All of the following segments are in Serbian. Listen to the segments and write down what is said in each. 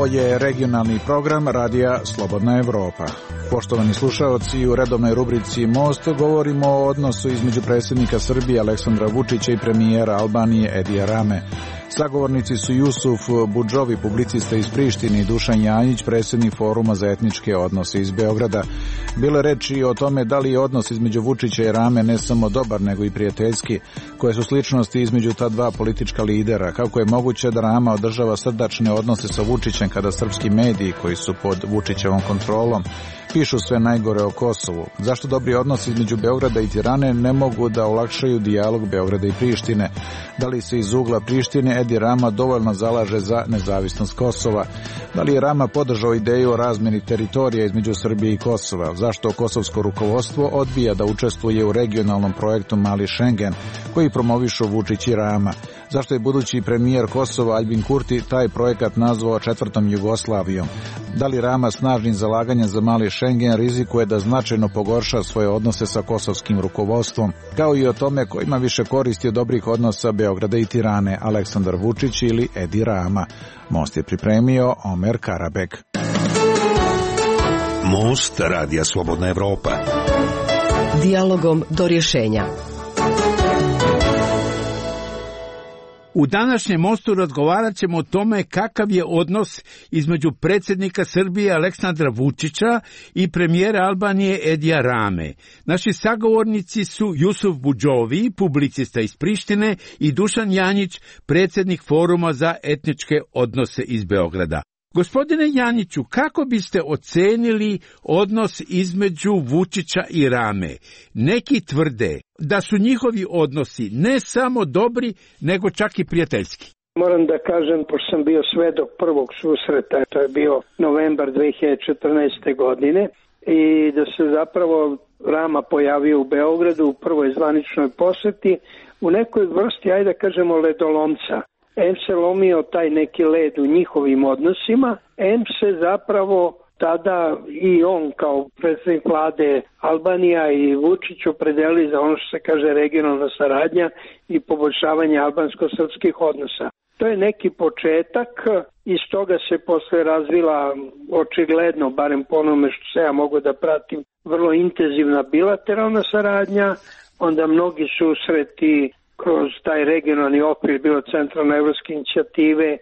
Ovo je regionalni program Radija Slobodna Evropa. Poštovani slušaoci, u redovnoj rubrici Most govorimo o odnosu između predsjednika Srbije Aleksandra Vučića i premijera Albanije Edija Rame. Sagovornici su Jusuf Budžovi, publicista iz Prištine, i Dušan Janjić, predsjednik Foruma za etničke odnose iz Beograda. Bilo je reči o tome da li je odnos između Vučića i Rame ne samo dobar, nego i prijateljski, koje su sličnosti između ta dva politička lidera, kako je moguće da Rama održava srdačne odnose sa Vučićem kada srpski mediji, koji su pod Vučićevom kontrolom, pišu sve najgore o Kosovu. Zašto dobri odnosi između Beograda i Tirane ne mogu da olakšaju dijalog Beograda i Prištine? Da li se iz ugla Prištine Edi Rama dovoljno zalaže za nezavisnost Kosova? Da li je Rama podržao ideju o razmjeni teritorija između Srbije i Kosova? Zašto kosovsko rukovodstvo odbija da učestvuje u regionalnom projektu Mali Šengen, koji promovišu Vučić i Rama? Zašto je budući premijer Kosova Aljbin Kurti taj projekat nazvao četvrtom Jugoslavijom? Da li Rama snažnim zalaganjem za Mali Šengen rizikuje da značajno pogorša svoje odnose sa kosovskim rukovodstvom, kao i o tome ko ima više koristi od dobrih odnosa Beograda i Tirane, Aleksandar Vučić ili Edi Rama? Most je pripremio Omer Karabek. Most Radija Slobodna Evropa. Dijalogom do rješenja. U današnjem mostu razgovarat ćemo o tome kakav je odnos između predsjednika Srbije Aleksandra Vučića i premijera Albanije Edija Rame. Naši sagovornici su Jusuf Budžovi, publicista iz Prištine, i Dušan Janjić, predsjednik Foruma za etničke odnose iz Beograda. Gospodine Janjiću, kako biste ocenili odnos između Vučića i Rame? Neki tvrde da su njihovi odnosi ne samo dobri, nego čak i prijateljski. Moram da kažem, pošto sam bio svedok prvog susreta, to je bio novembar 2014. godine, i da se zapravo Rama pojavio u Beogradu u prvoj zvaničnoj posjeti u nekoj vrsti, ajde da kažemo, ledolomca. Em se lomio taj neki led u njihovim odnosima, em se zapravo tada i on kao predsjednik vlade Albanija i Vučić opredeli za ono što se kaže regionalna saradnja i poboljšavanje albansko-srpskih odnosa. To je neki početak, iz toga se posle razvila očigledno, barem po onome što se ja mogu da pratim, vrlo intenzivna bilateralna saradnja, onda mnogi susreti kroz taj regionalni okvir, bilo centralne evropske inicijative,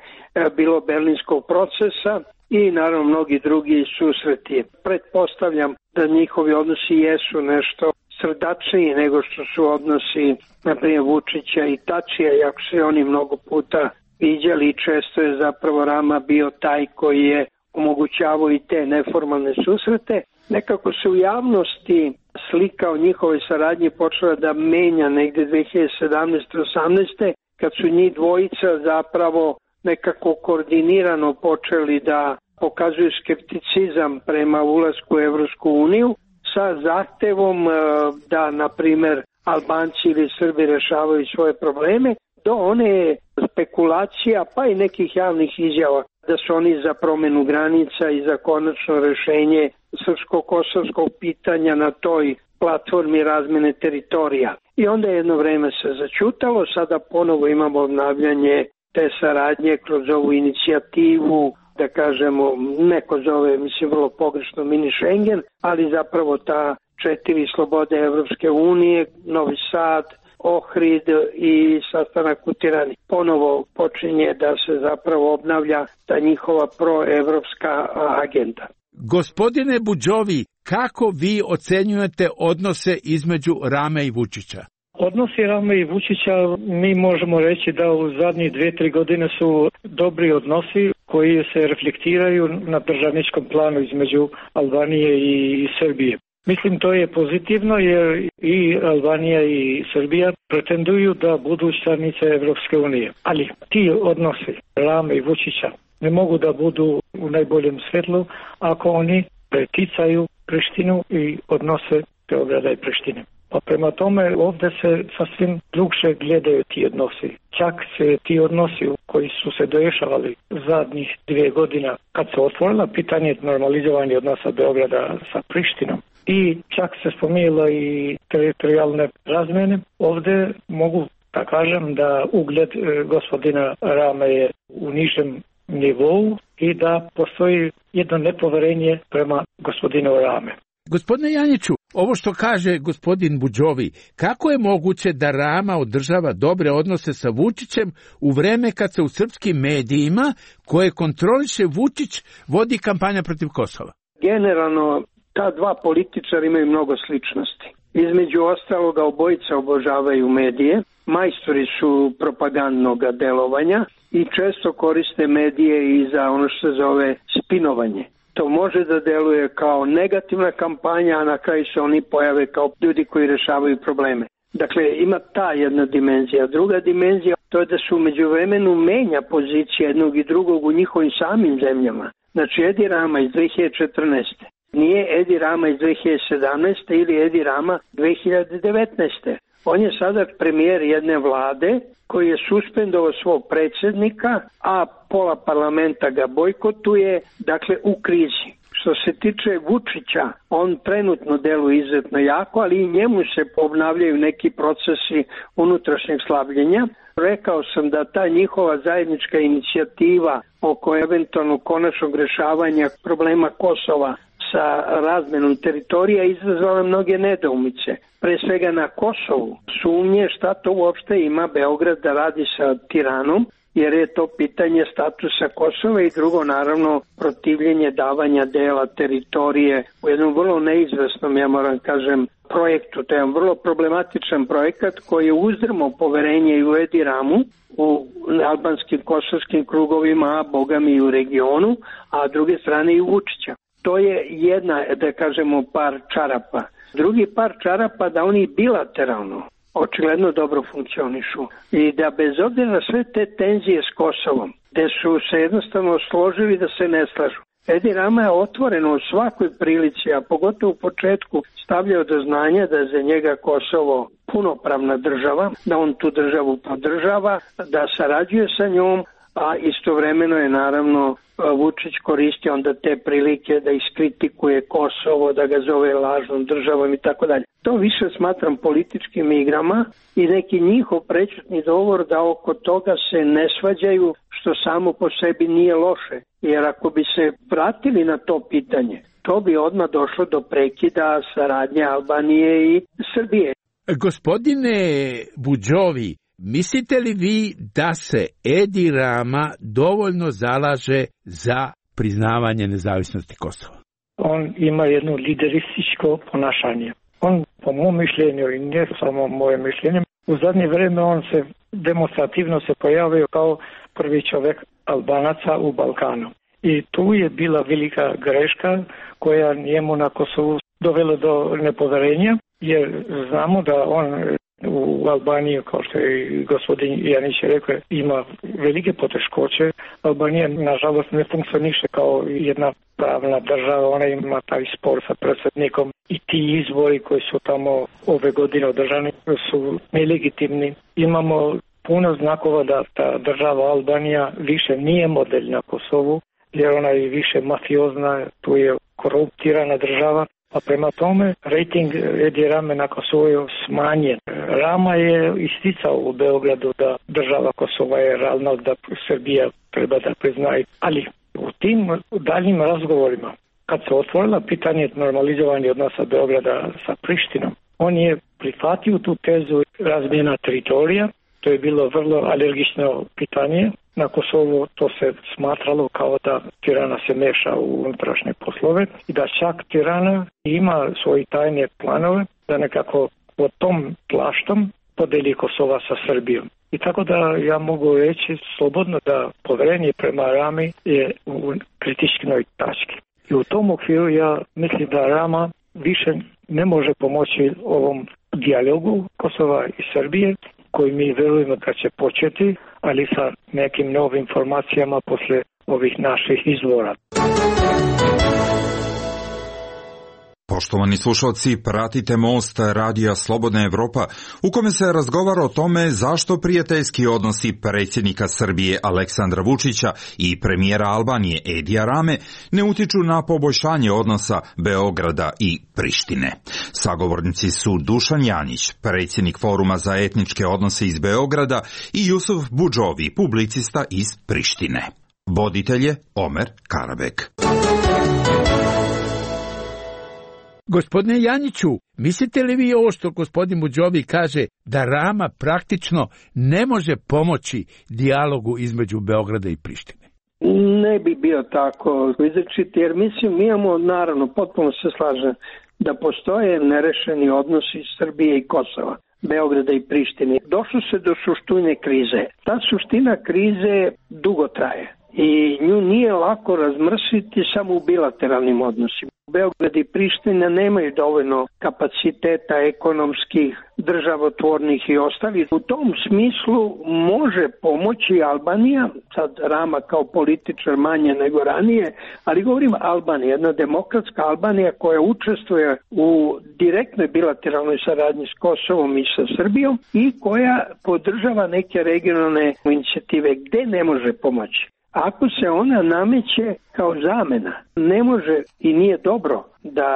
bilo berlinskog procesa i naravno mnogi drugi susreti. Pretpostavljam da njihovi odnosi jesu nešto srdačniji nego što su odnosi, na primjer, Vučića i Tačija, iako se oni mnogo puta viđali i često je zapravo Rama bio taj koji je omogućavao i te neformalne susrete. Nekako se u javnosti slika o njihovoj saradnji počela da menja negde 2017-18. kad su njih dvojica zapravo nekako koordinirano počeli da pokazuju skepticizam prema ulasku u Evropsku uniju sa zahtevom da, na primer, Albanci ili Srbi rešavaju svoje probleme, do one spekulacija pa i nekih javnih izjava da su oni za promenu granica i za konačno rešenje srpsko-kosovskog pitanja na toj platformi razmene teritorija. I onda jedno vreme se začutalo, sada ponovo imamo obnavljanje te saradnje kroz ovu inicijativu, da kažemo, neko zove, mislim, vrlo pogrešno mini Schengen, ali zapravo ta 4 slobode Evropske unije, Novi Sad, Ohrid i sastanak u Tirani. Ponovo počinje da se zapravo obnavlja ta njihova proevropska agenda. Gospodine Budžovi, kako vi ocenjujete odnose između Rame i Vučića? Odnosi Rame i Vučića, mi možemo reći da u zadnjih 2-3 godine su dobri odnosi koji se reflektiraju na državničkom planu između Albanije i Srbije. Mislim, to je pozitivno jer i Albanija i Srbija pretenduju da budu članice Evropske unije. Ali ti odnosi Rame i Vučića ne mogu da budu u najboljem svetlu ako oni preticaju Prištinu i odnose Beograda i Prištine. Pa prema tome ovdje se sasvim drugše gledaju ti odnosi. Čak se ti odnosi koji su se dešavali zadnjih 2 godina kad se otvorila pitanje normalizovanja odnosa Beograda sa Prištinom i čak se spominjalo i teritorijalne razmene, ovdje mogu da kažem da ugled gospodina Rame je u nižem nivou i da postoji jedno nepoverenje prema gospodinu Rame. Gospodine Janjiću, ovo što kaže gospodin Budžovi, kako je moguće da Rama održava dobre odnose sa Vučićem u vreme kad se u srpskim medijima, koje kontroliše Vučić, vodi kampanja protiv Kosova? Generalno, ta dva političara imaju mnogo sličnosti. Između ostaloga, obojica obožavaju medije, majstori su propagandnog delovanja i često koriste medije i za ono što se zove spinovanje. To može da deluje kao negativna kampanja, a na kraju se oni pojave kao ljudi koji rešavaju probleme. Dakle, ima ta jedna dimenzija. Druga dimenzija to je da se u međuvremenu menja pozicija jednog i drugog u njihovim samim zemljama. Znači, Edi Rama iz 2014. nije Edi Rama iz 2017. ili Edi Rama 2019. On je sada premijer jedne vlade koji je suspendovao svog predsjednika, a pola parlamenta ga bojkotuje, dakle u krizi. Što se tiče Vučića, on trenutno deluje izuzetno jako, ali i njemu se obnavljaju neki procesi unutrašnjeg slabljenja. Rekao sam da ta njihova zajednička inicijativa oko eventualno konačnog rešavanja problema Kosova sa razmenom teritorija izazvala mnoge nedoumice. Pre svega na Kosovu sumnje šta to uopšte ima Beograd da radi sa Tiranom, jer je to pitanje statusa Kosova i drugo, naravno, protivljenje davanja dela teritorije u jednom vrlo neizvesnom, ja moram kažem, projektu. To je jedan vrlo problematičan projekat koji je uzdrmao poverenje i u Edi Ramu, u albanskim kosovskim krugovima, a bogami i u regionu, a s druge strane i u Vučića. To je jedna, da kažemo, par čarapa. Drugi par čarapa da oni bilateralno očigledno dobro funkcionišu i da bez obzira na sve te tenzije s Kosovom, gde su se jednostavno složili da se ne slažu. Edi Rama je otvoreno u svakoj prilici, a pogotovo u početku stavljao do znanja da je za njega Kosovo punopravna država, da on tu državu podržava, da sarađuje sa njom, a istovremeno je naravno Vučić koristi onda te prilike da iskritikuje Kosovo, da ga zove lažnom državom i tako dalje. To više smatram političkim igrama i neki njihov prečutni dogovor da oko toga se ne svađaju, što samo po sebi nije loše. Jer ako bi se vratili na to pitanje, to bi odmah došlo do prekida saradnje Albanije i Srbije. Gospodine Budžovi, mislite li vi da se Edi Rama dovoljno zalaže za priznavanje nezavisnosti Kosova? On ima jedno liderističko ponašanje. On, po mom mišljenju i ne samo moje mišljenje, u zadnje vrijeme on se demonstrativno se pojavio kao prvi čovjek Albanaca u Balkanu. I tu je bila velika greška koja njemu na Kosovu dovela do nepoverenja, jer znamo da on u Albaniji, kao što je gospodin Janić rekao, ima velike poteškoće. Albanija, nažalost, ne funkcioniše kao jedna pravna država, ona ima taj spor sa predsjednikom i ti izbori koji su tamo ove godine održani su nelegitimni. Imamo puno znakova da ta država Albanija više nije model na Kosovu, jer ona je više mafiozna, tu je koruptirana država. A prema tome, rejting Edi Rame na Kosovu je smanjen. Rama je isticao u Beogradu da država Kosova je realna, da Srbija treba da priznaje. Ali u tim daljim razgovorima, kad se otvorila pitanje normalizovanja odnosa Beograda sa Prištinom, on je prihvatio tu tezu razmjena teritorija. To je bilo vrlo alergično pitanje. Na Kosovu to se smatralo kao da Tirana se meša u unutrašnje poslove i da čak Tirana ima svoje tajne planove da nekako pod tom plaštom podeli Kosova sa Srbijom. I tako da ja mogu reći slobodno da poverenje prema Rami je u kritičnoj tački. I u tom okviru ja mislim da Rama više ne može pomoći ovom dijalogu Kosova i Srbije, koji mi verujemo da će početi, ali sa nekim novim informacijama posle ovih naših izvora. Poštovani slušalci, pratite Most radija Slobodna Evropa, u kome se razgovara o tome zašto prijateljski odnosi predsjednika Srbije Aleksandra Vučića i premijera Albanije Edija Rame ne utiču na poboljšanje odnosa Beograda i Prištine. Sagovornici su Dušan Janjić, predsjednik Foruma za etničke odnose iz Beograda, i Jusuf Budžovi, publicista iz Prištine. Voditelj je Omer Karabek. Gospodine Janjiću, mislite li vi ovo što gospodin Budžovi kaže da Rama praktično ne može pomoći dijalogu između Beograda i Prištine? Ne bi bio tako izrečiti, jer mislim, mi imamo, naravno, potpuno se slažem, da postoje nerešeni odnosi Srbije i Kosova, Beograda i Prištine. Došlo se do suštine krize. Ta suština krize dugo traje i nju nije lako razmrsiti samo u bilateralnim odnosima. Beograd i Priština nemaju dovoljno kapaciteta ekonomskih, državotvornih i ostalih. U tom smislu može pomoći Albanija, sad Rama kao političar manje nego ranije, ali govorim Albanija, jedna demokratska Albanija koja učestvuje u direktnoj bilateralnoj saradnji s Kosovom i sa Srbijom i koja podržava neke regionalne inicijative gde ne može pomoći. Ako se ona nameće kao zamena, ne može i nije dobro da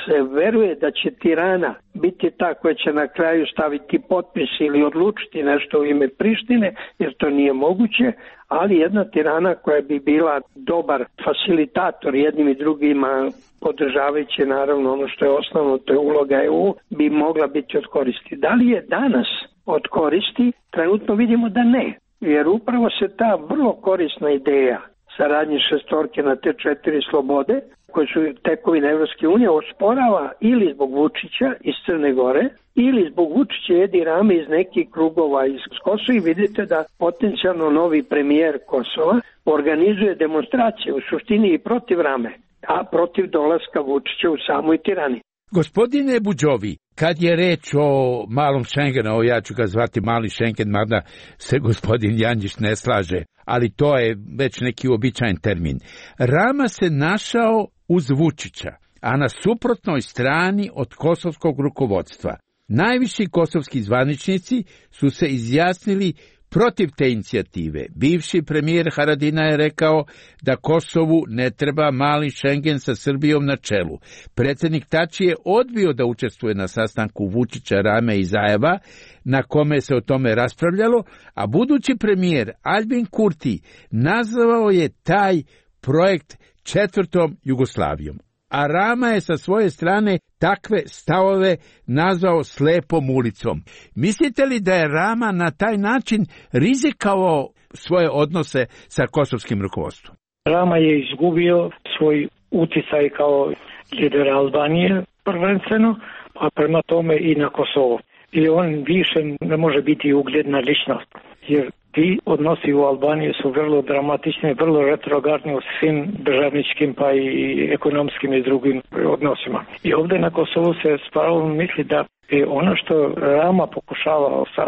se veruje da će Tirana biti ta koja će na kraju staviti potpis ili odlučiti nešto u ime Prištine, jer to nije moguće, ali jedna Tirana koja bi bila dobar facilitator jednim i drugima, podržavajući naravno ono što je osnovno, to je uloga EU, bi mogla biti od koristi. Da li je danas od koristi? Trenutno vidimo da ne. Jer upravo se ta vrlo korisna ideja saradnje šestorke na te 4 slobode, koje su tekovine Evropske unije, osporava ili zbog Vučića iz Crne Gore, ili zbog Vučića Edi Rame iz nekih krugova iz Kosova. I vidite da potencijalno novi premijer Kosova organizuje demonstracije u suštini i protiv Rame, a protiv dolaska Vučića u samoj Tirani. Gospodine Budžovi, kad je reč o malom Schengenu, ja ću ga zvati mali Schengen, mada se gospodin Janjić ne slaže, ali to je već neki uobičajen termin. Rama se našao uz Vučića, a na suprotnoj strani od kosovskog rukovodstva. Najviši kosovski zvaničnici su se izjasnili protiv te inicijative. Bivši premijer Haradina je rekao da Kosovu ne treba mali Schengen sa Srbijom na čelu. Predsjednik Tači je odbio da učestvuje na sastanku Vučića, Rame i Zajeva, na kome se o tome raspravljalo, a budući premijer Albin Kurti nazvao je taj projekt 4. Jugoslavijom. A Rama je sa svoje strane takve stavove nazvao slepom ulicom. Mislite li da je Rama na taj način rizikao svoje odnose sa kosovskim rukovodstvom? Rama je izgubio svoj uticaj kao lider Albanije prvenstveno, a prema tome i na Kosovo. I on više ne može biti ugledna ličnost, jer ti odnosi u Albaniji su vrlo dramatični, vrlo retrogradni u svim državničkim pa i ekonomskim i drugim odnosima. I ovdje na Kosovu se s pravom misli da je ono što Rama pokušava sa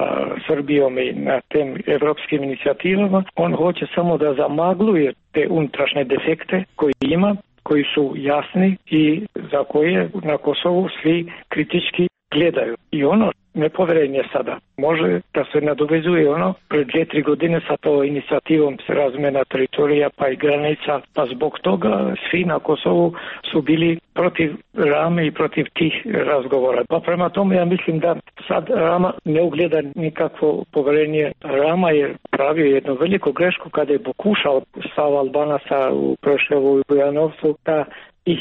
Srbijom i na tem evropskim inicijativama, on hoće samo da zamagluje te unutrašnje defekte koje ima, koji su jasni i za koje na Kosovu svi kritički gledaju. I ono nepoverenje sada može da se nadovezuje ono pred 2-3 godine sa to inicijativom razmjena teritorija pa i granica, pa zbog toga svi na Kosovu su bili protiv Rame i protiv tih razgovora. Pa prema tome ja mislim da sad Rama ne ugleda nikakvo poverenje. Rama je pravio jednu veliku grešku kada je pokušao stav Albanaca u Preševu i Bujanovcu da ih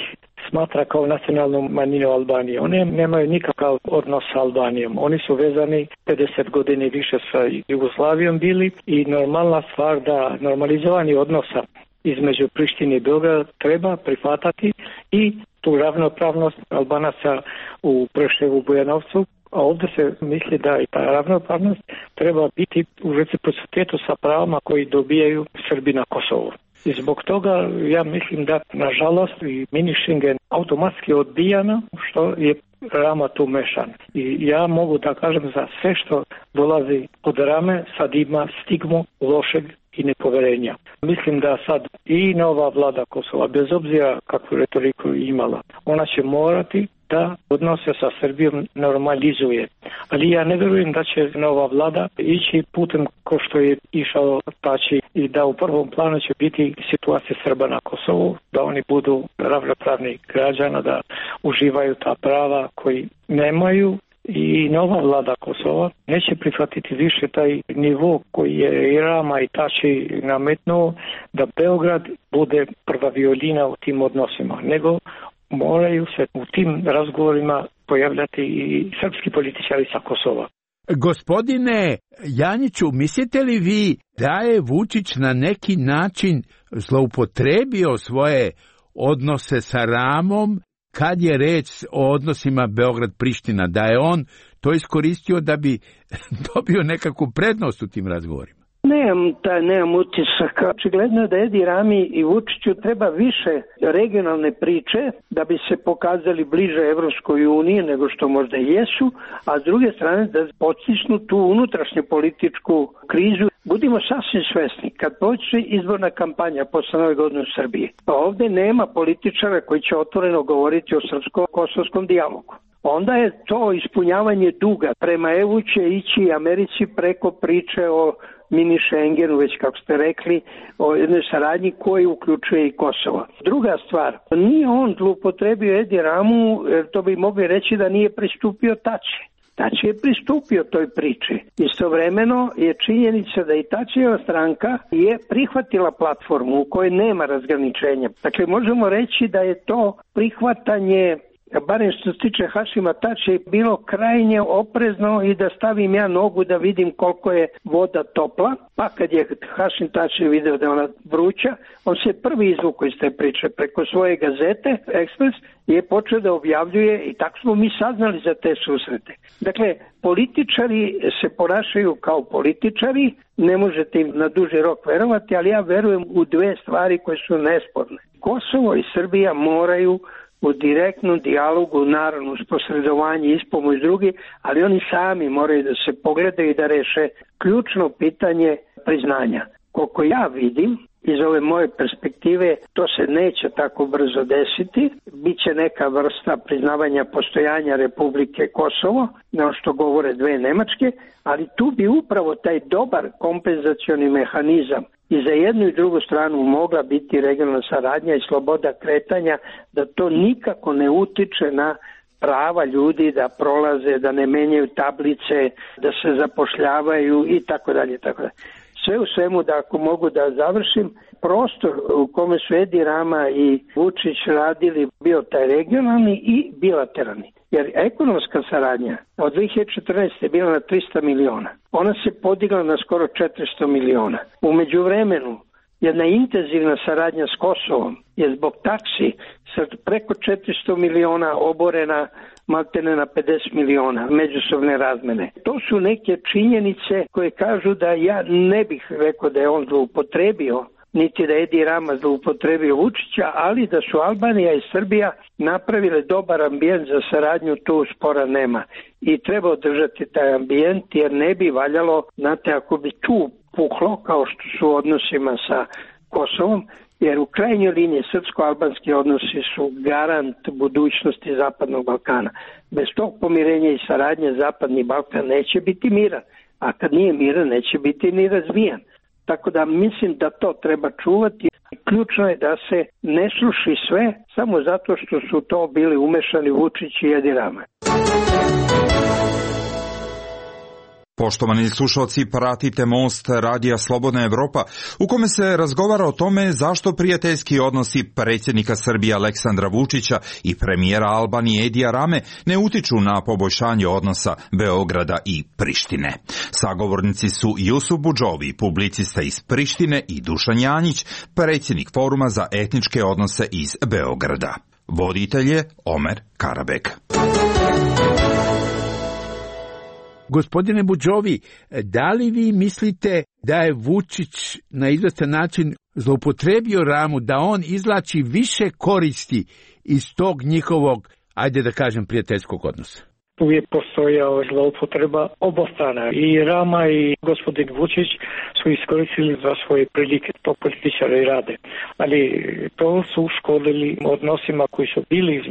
smatra kao nacionalnu manjinu Albanije. Oni nemaju nikakav odnos sa Albanijom. Oni su vezani 50 godina više sa Jugoslavijom bili i normalna stvar da normalizovanje odnosa između Prištine i Beograda treba prihvatati i tu ravnopravnost Albanaca u Preševu, Bujanovcu, a ovdje se misli da i ta ravnopravnost treba biti u reciprocitetu sa pravama koji dobijaju Srbi na Kosovu. I zbog toga ja mislim da nažalost i mini Schengen automatski odbijano što je Rama tu mešan. I ja mogu da kažem za sve što dolazi od Rame sad ima stigmu lošeg i nepoverenja. Mislim da sad i nova vlada Kosova, bez obzira kakvu retoriku imala, ona će morati da odnose sa Srbijom normalizuje. Ali ja ne vjerujem da će nova vlada ići putem ko što je išao Tači i da u prvom planu će biti situacija Srba na Kosovu, da oni budu ravnopravni građana, da uživaju ta prava koji nemaju i nova vlada Kosova neće prihvatiti više taj nivo koji je i Rama i Tači nametnuo da Beograd bude prva violina u tim odnosima, nego moraju se u tim razgovorima pojavljati i srpski političari sa Kosova. Gospodine Janjiću, mislite li vi da je Vučić na neki način zloupotrebio svoje odnose sa Ramom kad je reč o odnosima Beograd-Priština, da je on to iskoristio da bi dobio nekakvu prednost u tim razgovorima? Nemam utisak. Očigledno da Edi Rami i Vučiću treba više regionalne priče da bi se pokazali bliže Evropskoj uniji nego što možda jesu, a s druge strane da podstisnu tu unutrašnju političku krizu. Budimo sasvim svesni, kad počne izborna kampanja posle Nove godine u Srbiji, pa ovde nema političara koji će otvoreno govoriti o srpsko-kosovskom dijalogu. Onda je to ispunjavanje duga. Prema EU će ići Americi preko priče o mini Schengenu, već kako ste rekli, o jednoj saradnji koji uključuje i Kosovo. Druga stvar, nije on zloupotrebio Edi Ramu, to bi mogli reći da nije pristupio Tači. Tači je pristupio toj priči. Istovremeno je činjenica da i Tačijeva stranka je prihvatila platformu u kojoj nema razgraničenja. Dakle, možemo reći da je to prihvatanje, barem što se tiče Hašima Tačija, bilo krajnje oprezno i da stavim ja nogu da vidim koliko je voda topla, pa kad je Hašim Tačija video da je ona vruća, on se prvi izvukao iz te priče preko svoje gazete, Ekspres, je počeo da objavljuje i tako smo mi saznali za te susrete. Dakle, političari se ponašaju kao političari, ne možete im na duži rok verovati, ali ja verujem u dve stvari koje su nesporne. Kosovo i Srbija moraju u direktnom dijalogu, naravno uz posredovanje i ispomoć drugi, ali oni sami moraju da se pogledaju i da reše ključno pitanje priznanja. Koliko ja vidim, iz ove moje perspektive, to se neće tako brzo desiti. Biće neka vrsta priznavanja postojanja Republike Kosovo, na što govore dve Nemačke, ali tu bi upravo taj dobar kompenzacioni mehanizam i za jednu i drugu stranu mogla biti regionalna saradnja i sloboda kretanja, da to nikako ne utiče na prava ljudi da prolaze, da ne menjaju tablice, da se zapošljavaju i tako dalje, tako dalje. Sve u svemu, da ako mogu da završim, prostor u kome su Edi Rama i Vučić radili bio taj regionalni i bilateralni. Jer ekonomska saradnja od 2014. je bila na 300 miliona. Ona se podigla na skoro 400 miliona. U međuvremenu, jedna intenzivna saradnja s Kosovom je zbog taksi sa preko 400 miliona oborena maltene na 50 miliona međusobne razmene. To su neke činjenice koje kažu da ja ne bih rekao da je on zloupotrebio, niti da je Edi Rama zloupotrebio Vučića, ali da su Albanija i Srbija napravile dobar ambijent za saradnju, tu spora nema. I treba održati taj ambijent, jer ne bi valjalo, znate, ako bi tu puklo, kao što su u odnosima sa Kosovom, jer u krajnjoj liniji srpsko-albanski odnosi su garant budućnosti Zapadnog Balkana. Bez tog pomirenja i saradnje Zapadni Balkan neće biti miran, a kad nije miran neće biti ni razvijan. Tako da mislim da to treba čuvati. Ključno je da se ne sluši sve samo zato što su to bili umešani Vučić i Edi Rama. Poštovani slušalci, pratite Most radija Slobodna Evropa, u kome se razgovara o tome zašto prijateljski odnosi predsjednika Srbije Aleksandra Vučića i premijera Albanije Edija Rame ne utiču na poboljšanje odnosa Beograda i Prištine. Sagovornici su Jusuf Budžovi, publicista iz Prištine, i Dušan Janjić, predsjednik Foruma za etničke odnose iz Beograda. Voditelj je Omer Karabek. Gospodine Budžovi, da li vi mislite da je Vučić na izvestan način zloupotrebio Ramu, da on izvlači više koristi iz tog njihovog, ajde da kažem, prijateljskog odnosa? Uvijek postojao zloupotreba obostrana. I Rama i gospodin Vučić su iskoristili za svoje prilike, to političari rade. Ali to su škodili odnosima koji su bili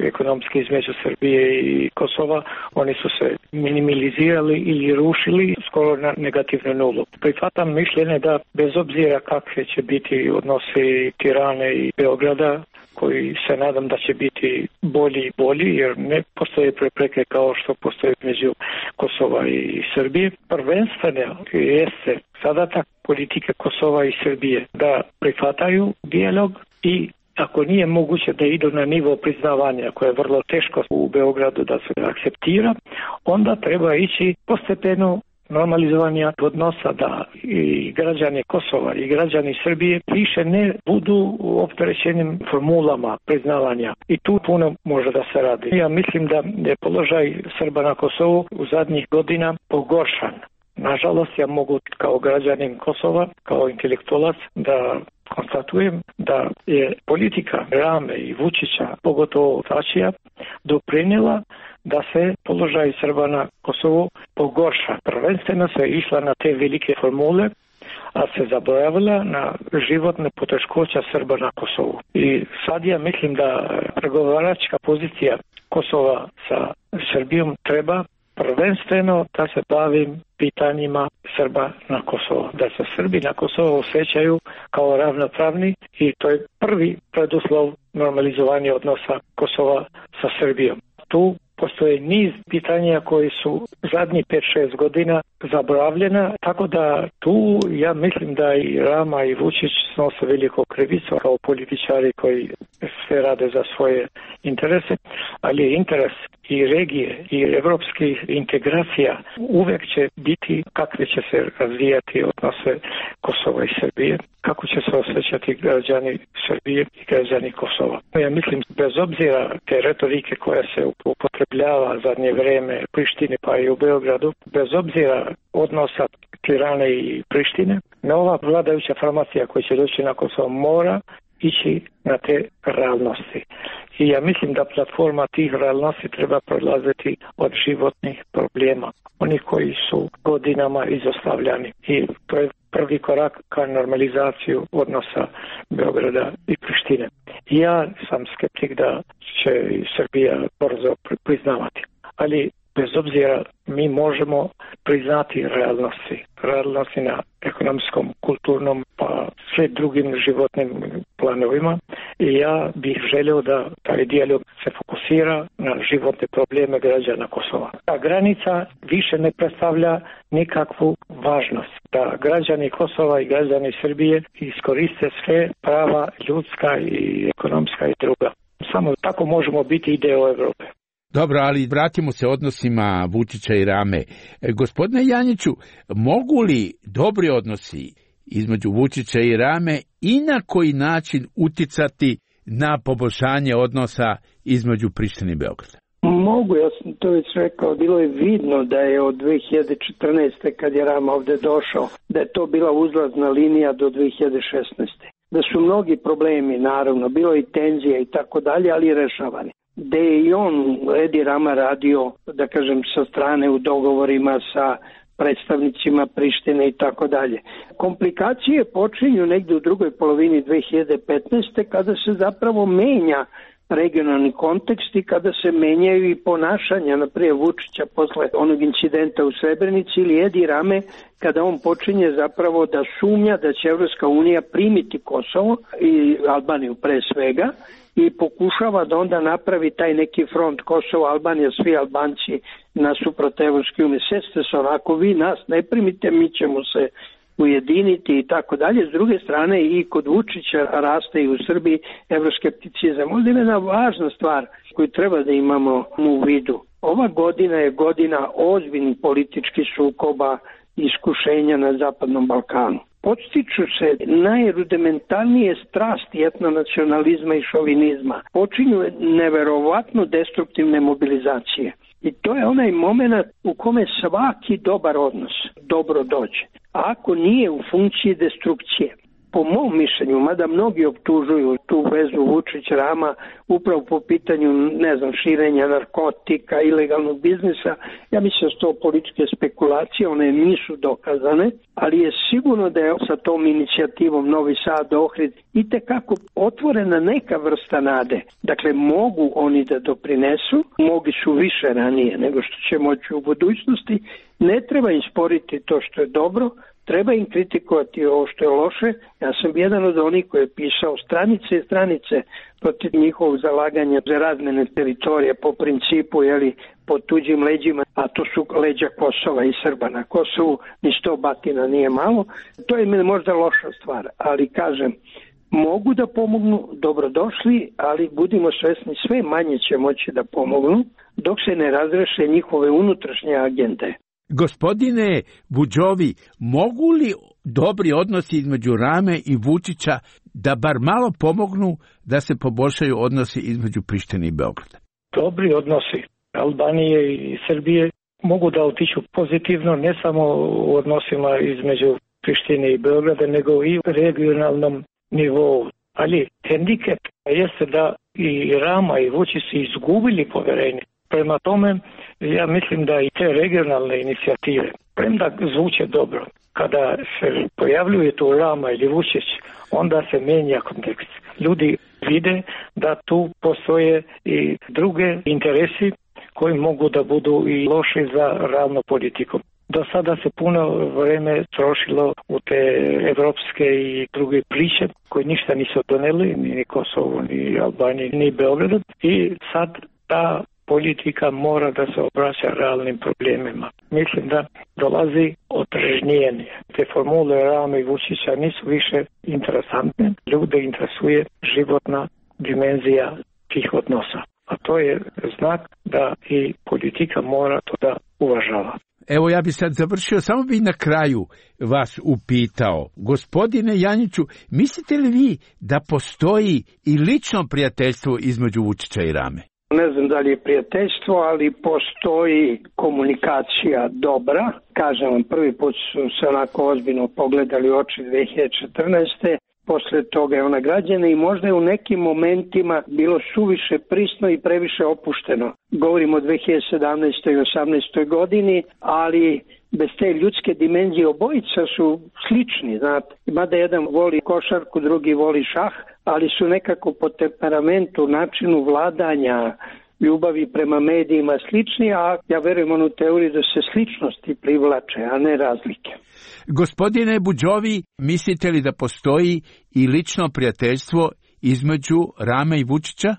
ekonomski između Srbije i Kosova. Oni su se minimalizirali ili rušili skoro na negativnu nulu. Prihvatam mišljenje da bez obzira kakve će biti odnosi Tirane i Beograda, koji se nadam da će biti bolji i bolji, jer ne postoje prepreke kao što postoje među Kosova i Srbije. Prvenstveno jeste zadatak politike Kosova i Srbije da prihvataju dijalog i ako nije moguće da idu na nivo priznavanja, koje je vrlo teško u Beogradu da se akceptira, onda treba ići postepeno normalizovanja odnosa, da i građani Kosova i građani Srbije više ne budu opterećenim formulama priznavanja. I tu puno može da se radi. Ja mislim da je položaj Srba na Kosovu u zadnjih godina pogoršan. Nažalost, ja mogu kao građanin Kosova, kao intelektualac, da konstatujem da je politika Rame i Vučića, pogotovo Tačija, doprinijela da se položaj Srba na Kosovu pogorša. Prvenstveno se išla na te velike formule, a se zaboravila na životne poteškoća Srba na Kosovu. I sad ja mislim da pregovaračka pozicija Kosova sa Srbijom treba prvenstveno da se bavim pitanjima Srba na Kosovu. Da se Srbi na Kosovu osjećaju kao ravnopravni i to je prvi preduslov normalizovanja odnosa Kosova sa Srbijom. Tu postoje niz pitanja koji su zadnjih 5-6 godina zaboravljena, tako da tu ja mislim da i Rama i Vučić snose veliko krivicu kao političari koji sve rade za svoje interese, ali interes i regije i evropskih integracija uvek će biti kakve će se razvijati odnose Kosova i Srbije, kako će se osjećati građani Srbije i građani Kosova. Ja mislim, bez obzira te retorike koja se upotrebljava zadnje vreme u Prištini pa i u Beogradu, bez obzira odnosa Tirane i Prištine, nova vladajuća formacija koja će doći na Kosovo mora ići na te realnosti. I ja mislim da platforma tih realnosti treba prolaziti od životnih problema, onih koji su godinama izostavljani. I to je prvi korak ka normalizaciju odnosa Beograda i Prištine. Ja sam skeptik da će Srbija brzo priznavati, ali bez obzira mi možemo priznati realnosti na ekonomskom, kulturnom pa sve drugim životnim planovima i ja bih želio da taj dijalog se fokusira na životne probleme građana Kosova. Ta granica više ne predstavlja nikakvu važnost. Da građani Kosova i građani Srbije iskoriste sve prava ljudska i ekonomska i druga. Samo tako možemo biti i deo Evrope. Dobro, ali vratimo se odnosima Vučića i Rame. Gospodine Janjiću, mogu li dobri odnosi između Vučića i Rame i na koji način uticati na poboljšanje odnosa između Prištine i Beograda? Mogu, ja sam to već rekao, bilo je vidno da je od 2014. kad je Rama ovde došao, da je to bila uzlazna linija do 2016. Da su mnogi problemi, naravno, bilo i tenzija i tako dalje, ali rešavani. Da je i on, Edi Rama, radio, da kažem, sa strane u dogovorima sa predstavnicima Prištine i tako dalje. Komplikacije počinju negde u drugoj polovini 2015. kada se zapravo menja regionalni kontekst i kada se menjaju i ponašanja, naprijed Vučića posle onog incidenta u Srebrenici ili Edi Rame, kada on počinje zapravo da sumnja da će Evropska unija primiti Kosovo i Albaniju pre svega i pokušava da onda napravi taj neki front Kosovo, Albanija, svi Albanci nasuprot Evropske unije. Seste se onako, vi nas ne primite, mi ćemo se ujediniti i tako dalje. S druge strane i kod Vučića raste i u Srbiji evroskepticizam. Ovdje je jedna važna stvar koju treba da imamo u vidu. Ova godina je godina ozbiljnih političkih sukoba i iskušenja na Zapadnom Balkanu. Podstiču se najrudimentalnije strasti etnonacionalizma i šovinizma. Počinju neverovatno destruktivne mobilizacije. I to je onaj moment u kome svaki dobar odnos dobro dođe. A ako nije u funkciji destrukcije, po mom mišljenju, mada mnogi optužuju tu vezu Vučić-Rama upravo po pitanju, širenja narkotika, ilegalnog biznisa, ja mislim da su to političke spekulacije, one nisu dokazane, ali je sigurno da je sa tom inicijativom Novi Sad, Ohrid itekako otvorena neka vrsta nade. Dakle, mogu oni da doprinesu, mogli su više ranije nego što će moći u budućnosti, ne treba im sporiti to što je dobro, treba im kritikovati ovo što je loše. Ja sam jedan od onih koji je pisao stranice i stranice protiv njihovog zalaganja za razmene teritorije po principu, pod tuđim leđima, a to su leđa Kosova i Srba na Kosovu, ni 100 batina nije malo. To je možda loša stvar, ali kažem, mogu da pomognu, dobrodošli, ali budimo svesni, sve manje će moći da pomognu dok se ne razreše njihove unutrašnje agende. Gospodine Budžovi, mogu li dobri odnosi između Rame i Vučića da bar malo pomognu da se poboljšaju odnosi između Prištine i Beograda? Dobri odnosi Albanije i Srbije mogu da otiću pozitivno, ne samo u odnosima između Prištine i Beograda, nego i u regionalnom nivou. Ali hendikep jeste da i Rama i Vučić su izgubili poverenje. Prema tome, ja mislim da i te regionalne inicijative, premda zvuče dobro, kada se pojavljuje tu Rama ili Vučić, onda se menja kontekst. Ljudi vide da tu postoje i druge interesi koji mogu da budu i loši za ravno politiku. Do sada se puno vreme trošilo u te evropske i druge priče koje ništa nisu doneli, ni Kosovo, ni Albaniji, ni Beograd. I sad ta politika mora da se obraća realnim problemima. Mislim da dolazi otrežnjenje. Te formule Rame i Vučića nisu više interesantne. Ljude interesuje životna dimenzija tih odnosa. A to je znak da i politika mora to da uvažava. Evo, ja bi sad završio, samo bi na kraju vas upitao. Gospodine Janjiću, mislite li vi da postoji i lično prijateljstvo između Vučića i Rame? Ne znam da li je prijateljstvo, ali postoji komunikacija dobra. Kažem vam, prvi put su se onako ozbiljno pogledali u oči 2014. Posle toga je ona građana i možda je u nekim momentima bilo suviše prisno i previše opušteno. Govorimo o 2017. i 2018. godini, ali bez te ljudske dimenzije obojica su slični, znate. Mada jedan voli košarku, drugi voli šah, ali su nekako po temperamentu, načinu vladanja, ljubavi prema medijima slični, a ja verujem onu teoriju da se sličnosti privlače, a ne razlike. Gospodine Budžovi, mislite li da postoji i lično prijateljstvo između Rame i Vučića?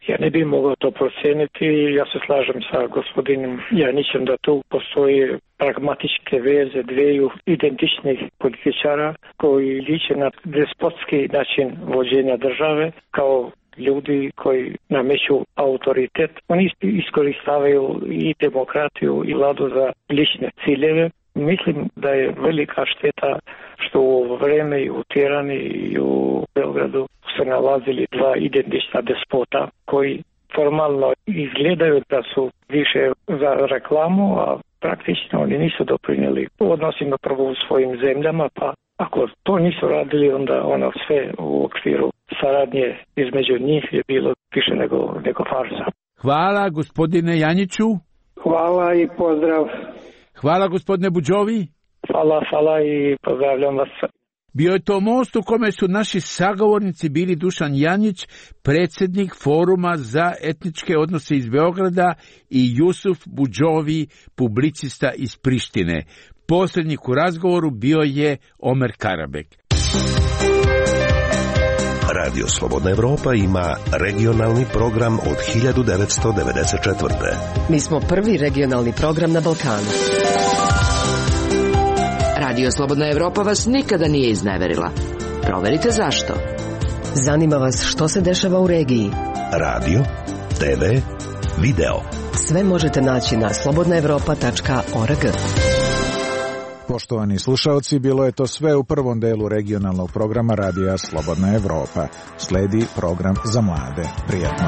Ja ne bih mogao to proceniti. Ja se slažem sa gospodinom Janićem da tu postoje pragmatičke veze dveju identičnih političara koji liče na despotski način vođenja države kao ljudi koji nameću autoritet. Oni iskoristavaju i demokratiju i vladu za lične ciljeve. Mislim da je velika šteta što u vreme i u Tirani i u Beogradu se nalazili dva identična despota koji formalno izgledaju da su više za reklamu, a praktično oni nisu doprinijeli odnosima prvo u svojim zemljama, pa ako to nisu radili, onda ono sve u okviru saradnje između njih je bilo više nego farsa. Hvala gospodine Janjiću. Hvala i pozdrav. Hvala gospodine Budžovi. Hvala i pozdravljam vas. Bio je to most u kome su naši sagovornici bili Dušan Janjić, predsjednik Foruma za etničke odnose iz Beograda, i Jusuf Budžovi, publicista iz Prištine. Posrednik u razgovoru bio je Omer Karabek. Radio Slobodna Evropa ima regionalni program od 1994. Mi smo prvi regionalni program na Balkanu. Radio Slobodna Evropa vas nikada nije izneverila. Proverite zašto. Zanima vas što se dešava u regiji. Radio, TV, video. Sve možete naći na slobodnaevropa.org. Poštovani slušaoci, bilo je to sve u prvom delu regionalnog programa Radija Slobodna Evropa. Sledi program za mlade. Prijatno.